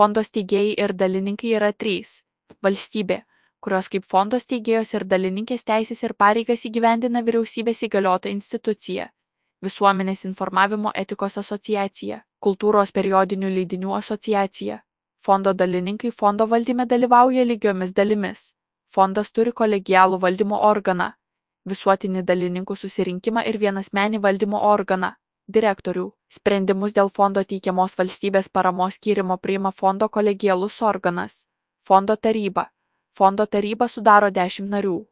Fondo steigėjai ir dalininkai yra 3. Valstybė, kurios kaip fondo steigėjos ir dalininkės teisės ir pareigas įgyvendina vyriausybės įgaliota institucija. Visuomenės informavimo etikos asociacija, kultūros periodinių leidinių asociacija. Fondo dalininkai fondo valdyme dalyvauja lygiomis dalimis. Fondas turi kolegialų valdymo organą, visuotinį dalininkų susirinkimą ir vienasmenį valdymo organą – direktorių. Sprendimus dėl fondo teikiamos valstybės paramos skyrimo priima fondo kolegialus organas – Fondo taryba. Fondo taryba sudaro 10 narių.